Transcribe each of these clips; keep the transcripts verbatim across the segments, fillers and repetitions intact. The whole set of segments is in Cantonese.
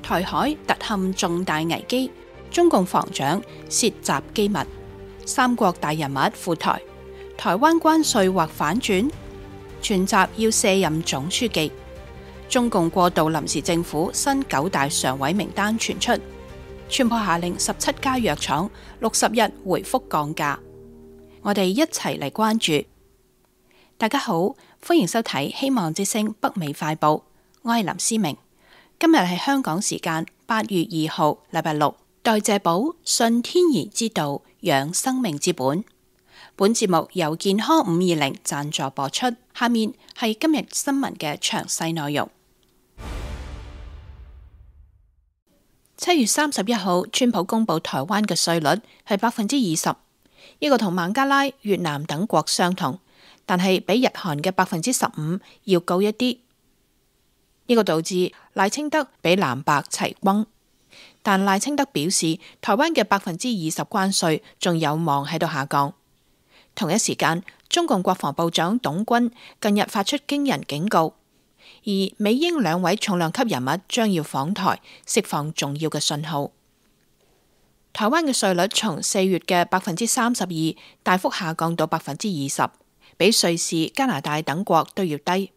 台海突陷重大危機，中共防長涉襲機密，三國大人物赴台，台灣關稅或反轉，傳習要卸任總書記。中共過渡臨時政府新九大常委名單傳出，宣布下令十七家藥廠六十日回復降價。我哋一齊嚟關注。大家好，歡迎收睇希望之聲北美快報，我係林思明。今日係香港時間八月二號，禮拜六。代謝寶，信天然之道，養生命之本。本節目由健康五二零贊助播出。下面係今日新聞嘅詳細內容。七月三十一號，川普公布台灣嘅稅率係百分之二十，呢個同孟加拉、越南等國相同，但係比日韓嘅百分之十五要高一啲。呢個導致賴清德比藍白齊轟，但賴清德表示，台灣嘅百分之二十關稅仲有望喺度下降。同一時間，中共國防部長董軍近日發出驚人警告，而美英兩位重量級人物將要訪台，釋放重要嘅信號。台灣嘅稅率從四月嘅百分之三十二大幅下降到百分之二十，比瑞士、加拿大等國都要低。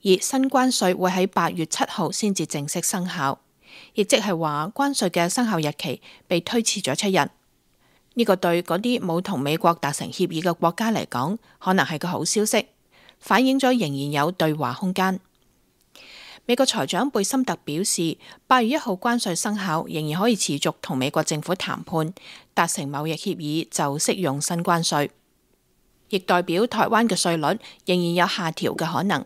而新關稅會喺八月七號先至正式生效，亦即係話關稅嘅生效日期被推遲咗七日。呢、這個對嗰啲冇同美國達成協議嘅國家嚟講，可能係個好消息，反映咗仍然有對話空間。美國財長貝森特表示，八月一號關稅生效，仍然可以持續同美國政府談判，達成貿易協議就適用新關稅，亦代表台灣嘅稅率仍然有下調嘅可能。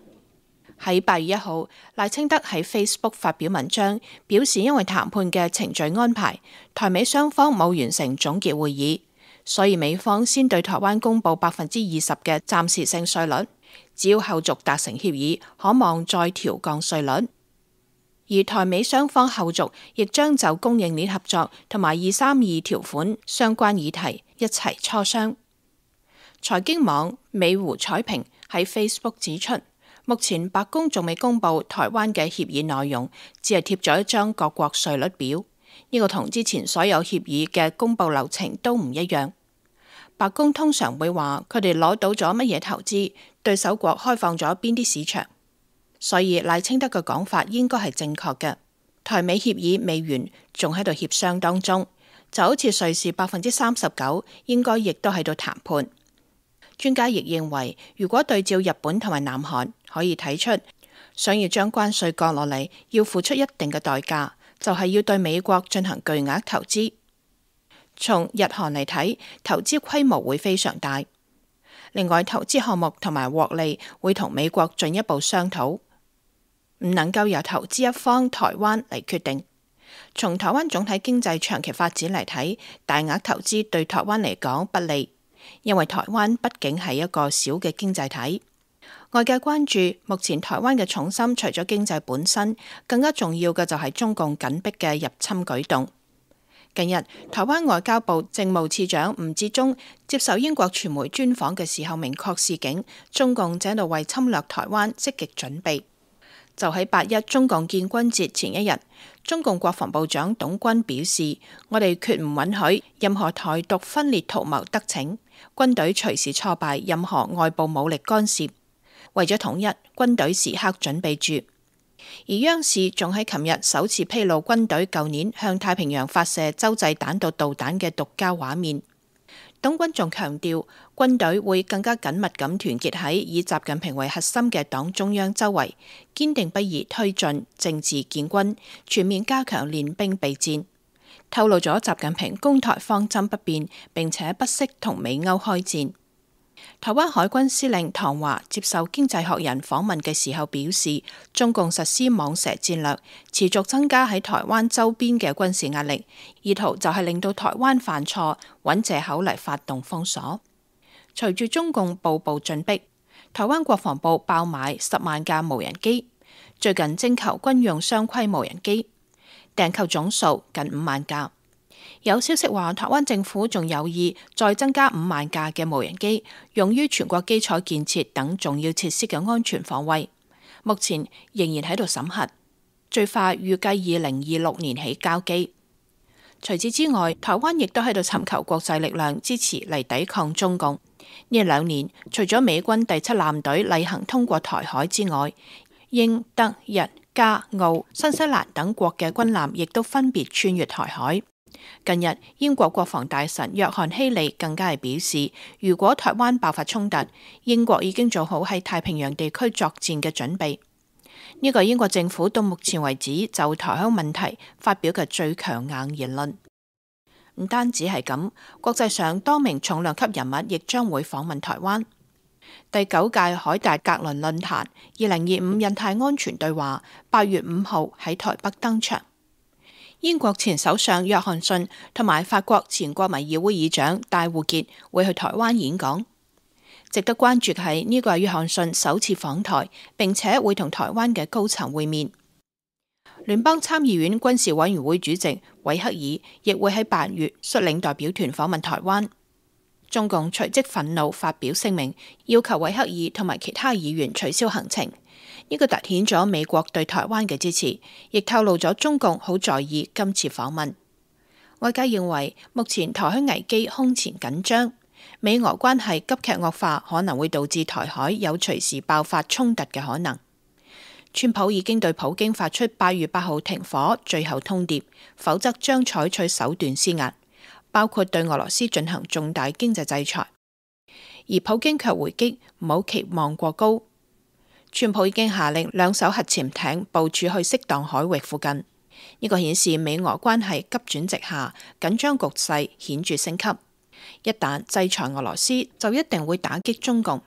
喺八月一號，賴清德喺 Facebook 發表文章，表示因為談判嘅程序安排，台美雙方冇完成總結會議，所以美方先對台灣公布百分之二十嘅暫時性稅率，只要後續達成協議，可望再調降稅率。而台美雙方後續亦將就供應鏈合作同埋二三二條款相關議題一齊磋商。財經網美湖彩平喺 Facebook 指出，目前白宮仲未公布台灣嘅協議內容，只係貼咗一張各國稅率表。呢個同之前所有協議嘅公布流程都唔一樣。白宮通常會話佢哋攞到咗乜嘢投資，對手國開放咗邊啲市場，所以賴清德嘅講法應該係正確嘅。台美協議未完，仲喺度協商當中，就好似瑞士百分之三十九，應該亦都喺度談判。專家亦認為，如果對照日本同埋南韓，可以睇出想要將關稅降落嚟，要付出一定嘅代價，就係要對美國進行巨額投資。從日韓嚟睇，投資規模會非常大。另外，投資項目同埋獲利會同美國進一步商討，唔能夠由投資一方台灣嚟決定。從台灣總體經濟長期發展嚟睇，大額投資對台灣嚟講不利。因為台灣畢竟係一個小嘅經濟體，外界關注目前台灣嘅重心除咗經濟本身，更加重要嘅就係中共緊迫嘅入侵舉動。近日，台灣外交部政務次長吳志忠接受英國傳媒專訪嘅時候，明確示警中共正喺度為侵略台灣積極準備。就喺八一中共建軍節前一日，中共國防部長董軍表示：我哋決唔允許任何台獨分裂圖謀得逞，軍隊隨時挫敗任何外部武力干涉。為咗統一，軍隊時刻準備住。而央視仲喺琴日首次披露軍隊舊年向太平洋發射洲際彈道導彈嘅獨家畫面。董軍仲強調，軍隊會更加緊密咁團結喺以習近平為核心嘅黨中央周圍，堅定不移推進政治建軍，全面加強練兵備戰。透露咗習近平攻台方針不變，並且不惜同美歐開戰。台灣海軍司令唐華接受經濟學人訪問嘅時候表示，中共實施蟒蛇戰略，持續增加喺台灣周邊嘅軍事壓力，意圖就係令到台灣犯錯，揾藉口嚟發動封鎖。隨住中共步步進逼，台灣國防部爆買十萬架無人機，最近徵求軍用雙規無人機，訂購總數近五萬架。有消息話，台灣政府仲有意再增加五萬架嘅無人機，用於全國基礎建設等重要設施嘅安全防衛。目前仍然喺度審核。最快預計二零二六年起交機。除此之外，台灣亦都喺度尋求國際力量支持嚟抵抗中共。呢兩年，除咗美軍第七艦隊例行通過台海之外，英、德、日、加、澳、新西蘭等國嘅軍艦亦都分別穿越台海。近日，英國國防大臣約翰希利更加係表示，如果台灣爆發衝突，英國已經做好喺太平洋地區作戰嘅準備。呢個英國政府到目前為止就台海問題發表嘅最強硬言論。唔單止係咁，國際上多名重量級人物亦將會訪問台灣。第九屆海達格倫論壇二零二五印太安全對話八月五號喺台北登場。英國前首相約翰遜同埋法國前國民議會議長戴護傑會去台灣演講。值得關注嘅係呢個係約翰遜首次訪台，並且會同台灣嘅高層會面。聯邦參議院軍事委員會主席韋克爾亦會喺八月率領代表團訪問台灣。中共隨即憤怒發表聲明，要求韋克爾同埋其他議員取消行程。呢個凸顯咗美國對台灣嘅支持，亦透露咗中共好在意今次訪問。外界認為目前台海危機空前緊張，美俄關係急劇惡化可能會導致台海有隨時爆發衝突嘅可能。川普已經對普京發出八月八號停火最後通牒，否則將採取手段施壓，包括對俄羅斯進行重大經濟制裁。而普京卻回擊唔好期望過高。川普已經下令兩艘核潛艇部署去適當海域附近，呢個顯示美俄關係急轉直下，緊張局勢顯著升級。一旦制裁俄羅斯，就一定會打擊中共。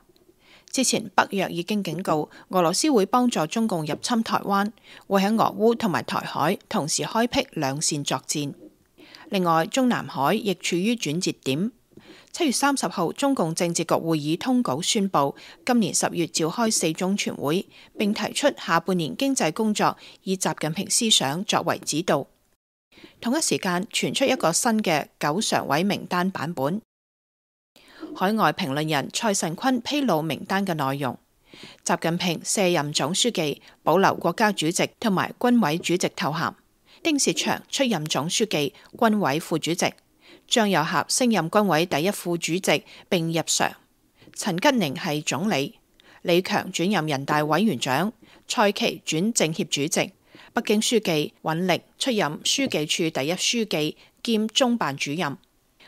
之前北約已經警告俄羅斯會幫助中共入侵台灣，會喺俄烏同埋台海同時開闢兩線作戰。另外，中南海亦處於轉折點。七月三十號，中共政治局會議通稿宣布，今年十月召開四中全會，並提出下半年經濟工作以習近平思想作為指導。同一時間傳出一個新嘅九常委名單版本。海外評論人蔡慎坤披露名單嘅內容：習近平卸任總書記，保留國家主席同埋軍委主席頭銜；丁薛祥出任總書記、軍委副主席；張又俠升任軍委第一副主席並入常；陳吉寧係總理；李強轉任人大委員長；蔡奇轉政協主席；北京書記尹力出任書記處第一書記兼中辦主任；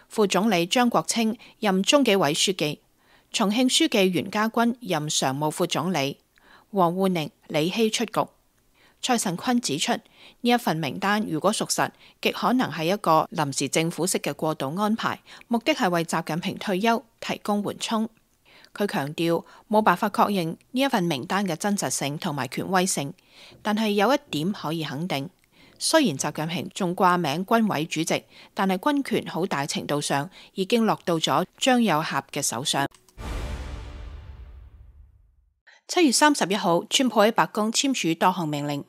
副總理張國清任中紀委書記；重慶書記袁家軍任常務副總理；王滬寧、李希出局。蔡慎坤指出，呢一份名單如果屬實，極可能係一個臨時政府式嘅過渡安排，目的係為習近平退休提供緩衝。佢強調冇辦法確認呢一份名單嘅真實性同埋權威性，但係有一點可以肯定，雖然習近平仲掛名軍委主席，但係軍權好大程度上已經落到咗張又俠嘅手上。七月三十一號，川普喺白宮簽署多項命令。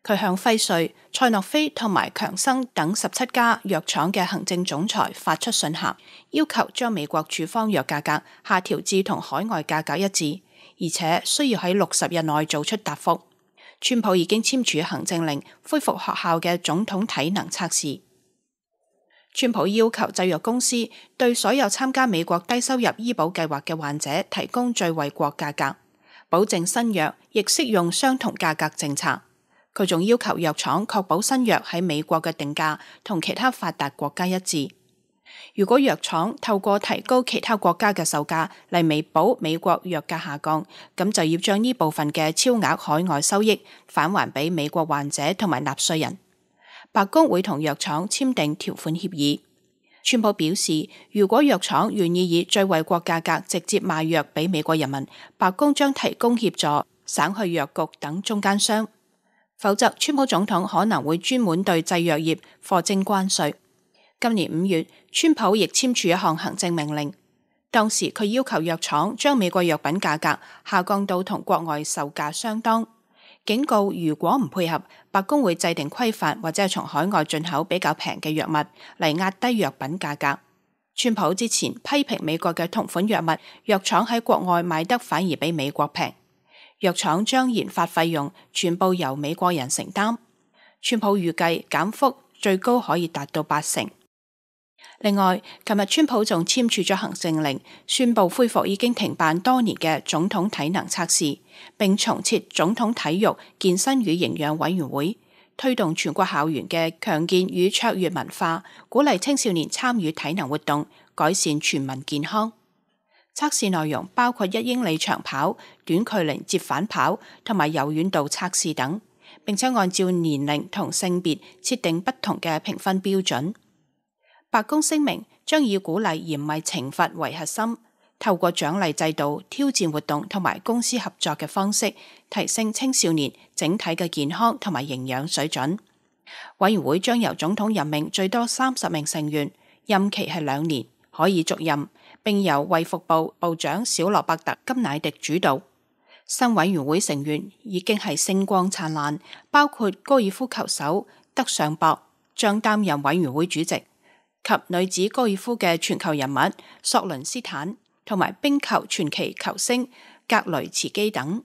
佢向輝瑞、賽諾菲同埋強生等十七家藥廠嘅行政總裁發出信函，要求將美國處方藥價格下調至同海外價格一致，而且需要喺六十日內做出答覆。川普已經簽署行政令，恢復學校嘅總統體能測試。川普要求製藥公司對所有參加美國低收入醫保計劃嘅患者提供最惠國價格，保證新藥亦適用相同價格政策。佢仲要求藥廠確保新藥喺美國嘅定價同其他發達國家一致。如果藥廠透過提高其他國家嘅售價嚟彌補美國藥價下降，咁就要將呢部分嘅超額海外收益返還俾美國患者同埋納稅人。白宮會同藥廠簽訂條款協議。川普表示，如果藥廠願意以最惠國價格直接賣藥俾美國人民，白宮將提供協助，省去藥局等中間商。否則，川普總統可能會專門對製藥業課徵關稅。今年五月，川普亦簽署一項行政命令，當時佢要求藥廠將美國藥品價格下降到同國外售價相當，警告如果唔配合，白宮會制定規範或者係從海外進口比較平嘅藥物嚟壓低藥品價格。川普之前批評美國嘅同款藥物，藥廠喺國外賣得反而比美國平。藥廠將研發費用全部由美國人承擔，川普預計減幅最高可以達到八成。另外，琴日川普仲簽署咗行政令，宣布恢復已經停辦多年嘅總統體能測試，並重設總統體育、健身與營養委員會，推動全國校園嘅強健與卓越文化，鼓勵青少年參與體能活動，改善全民健康。測試內容包括一英里長跑、短距離折返跑同埋柔軟度測試等，並且按照年齡同性別設定不同嘅評分標準。白宮聲明將以鼓勵而唔係懲罰為核心，透過獎勵制度、挑戰活動同埋公司合作嘅方式，提升青少年整體嘅健康同埋營養水準。委員會將由總統任命最多三十名成員，任期係兩年，可以續任，並由衛福部部長小羅伯特金乃迪主導。新委員會成員已經係星光燦爛，包括高爾夫球手德尚博將擔任委員會主席，及女子高爾夫嘅全球人物索倫斯坦同埋冰球傳奇球星格雷茨基等。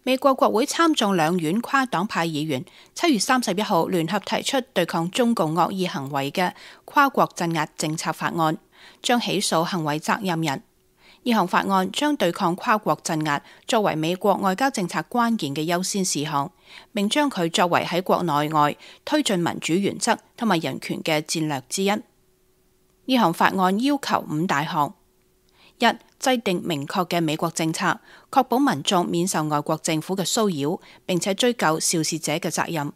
美國國會參眾兩院跨黨派議員七月三十一號聯合提出對抗中共惡意行為嘅跨國鎮壓政策法案，將起訴行為責任人。呢項法案將對抗跨國鎮壓作為美國外交政策關鍵嘅優先事項，並將佢作為喺國內外推進民主原則同埋人權嘅戰略之一。呢項法案要求五大項：一、制定明確嘅美國政策，確保民眾免受外國政府嘅騷擾，並且追究肇事者嘅責任；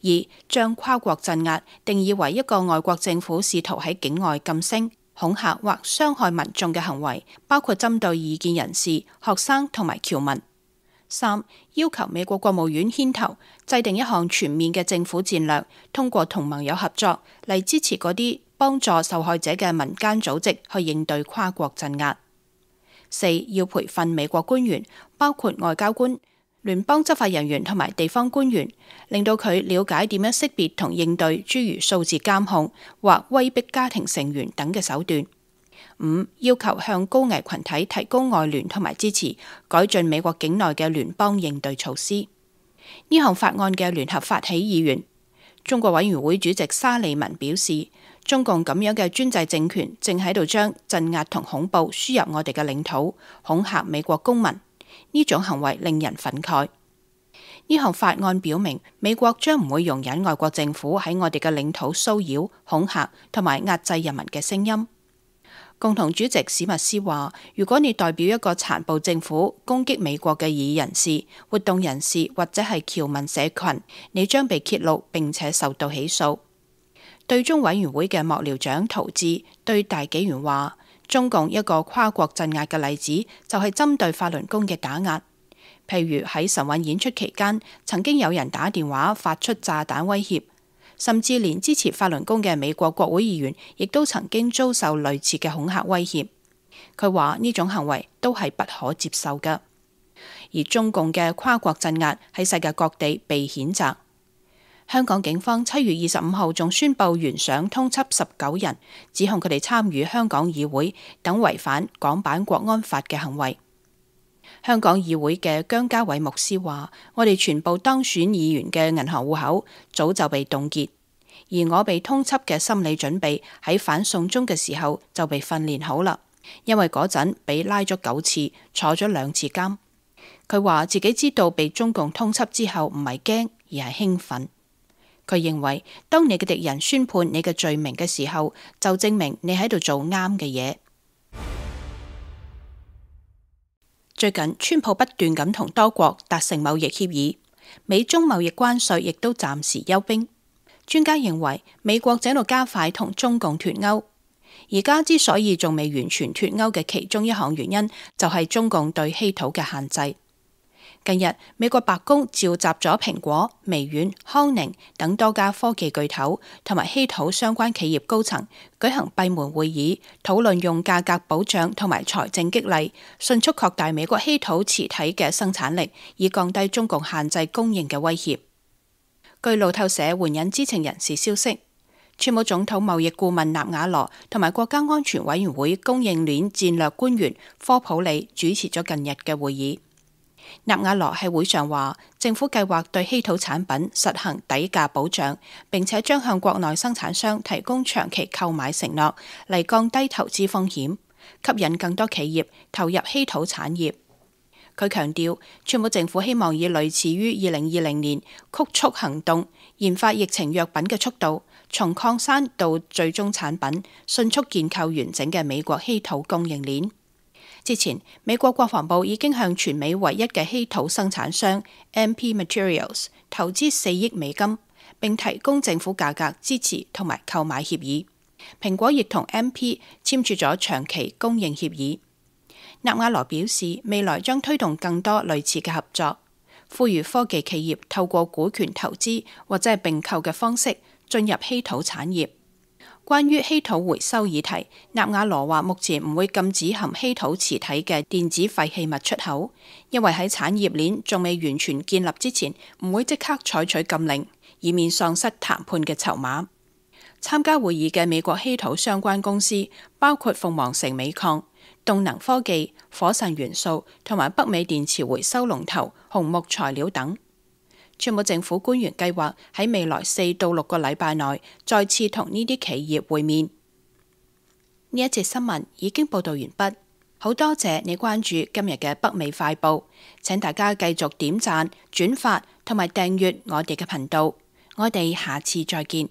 二、將跨國鎮壓定義為一個外國政府試圖喺境外噤聲、恐嚇或傷害民眾嘅行為，包括針對異見人士、學生同埋僑民。三、要求美國國務院牽頭制定一項全面嘅政府戰略，通過同盟友合作嚟支持嗰啲幫助受害者嘅民間組織去應對跨國鎮壓。四、要培訓美國官員，包括外交官、聯邦執法人員同埋地方官員，令到佢了解點樣識別同應對諸如數字監控或威逼家庭成員等嘅手段。五、要求向高危群體提供外聯同埋支持，改進美國境內嘅聯邦應對措施。呢項法案嘅聯合發起議員中國委員會主席沙利文表示，中共咁樣嘅專制政權正喺度將鎮壓同恐怖輸入我哋嘅領土，恐嚇美國公民。呢種行為令人憤慨。呢項法案表明，美國將唔會容忍外國政府喺我哋嘅領土騷擾、恐嚇同埋壓制人民嘅聲音。共同主席史密斯話，如果你代表一個殘暴政府攻擊美國嘅異議人士、活動人士或者係僑民社群，你將被揭露並且受到起訴。對中委員會嘅幕僚長陶志對大紀元話，中共一個跨國鎮壓嘅例子就係針對法輪功嘅打壓，譬如喺晨運演出期間，曾經有人打電話發出炸彈威脅，甚至連支持法輪功嘅美國國會議員亦都曾經遭受類似嘅恐嚇威脅。佢話呢種行為都係不可接受嘅，而中共嘅跨國鎮壓喺世界各地被譴責。香港警方七月二十五號仲宣布懸賞通緝十九人，指控佢哋參與香港議會等違反港版國安法嘅行為。香港議會嘅姜家偉牧師話，我哋全部當選議員嘅銀行戶口早就被凍結，而我被通緝嘅心理準備喺反送中嘅時候就被訓練好啦，因為嗰陣被拉咗九次，坐咗兩次監。佢話自己知道被中共通緝之後唔係驚，而係興奮。佢認為，當你嘅敵人宣判你嘅罪名嘅時候，就證明你喺度做啱嘅嘢。最近，川普不斷咁同多國達成貿易協議，美中貿易關稅亦都暫時休兵。專家認為，美國正喺度加快同中共脫鈎。而家之所以仲未完全脫鈎嘅其中一項原因，就係中共對稀土嘅限制。近日，美國白宮召集咗蘋果、微軟、康寧等多家科技巨頭同埋稀土相關企業高層舉行閉門會議，討論用價格保障同埋財政激勵，迅速擴大美國稀土磁體嘅生產力，以降低中共限制供應嘅威脅。據路透社援引知情人士消息，川普總統貿易顧問納瓦羅同埋國家安全委員會供應鏈戰略官員科普里主持咗近日嘅會議。納瓦羅喺會上話，政府計劃對稀土產品實行底價保障，並且將向國內生產商提供長期購買承諾，嚟降低投資風險，吸引更多企業投入稀土產業。佢強調，川普政府希望以類似於二零二零年曲速行動研發疫情藥品嘅速度，從礦山到最終產品，迅速建構完整嘅美國稀土供應鏈。之前，美國國防部已經向全美唯一嘅稀土生產商 M P Materials 投資四億美金，並提供政府價格支持同埋購買協議。蘋果亦同 M P 簽署咗長期供應協議。納瓦羅表示，未來將推動更多類似嘅合作，呼籲科技企業透過股權投資或者係併購嘅方式進入稀土產業。關於稀土回收議題，納瓦羅話目前唔會禁止含稀土磁體嘅電子廢棄物出口，因為喺產業鏈仲未完全建立之前，唔會即刻採取禁令，以免喪失談判嘅籌碼。參加會議嘅美國稀土相關公司包括鳳凰城鎂礦、動能科技、火神元素同埋北美電池回收龍頭紅木材料等。川普政府官員計劃喺未來四到六個禮拜內再次同呢啲企業會面。呢一節新聞已經報道完畢，好多謝你關注今日嘅北美快報，請大家繼續點讚、轉發同埋訂閱我哋嘅頻道。我哋下次再見。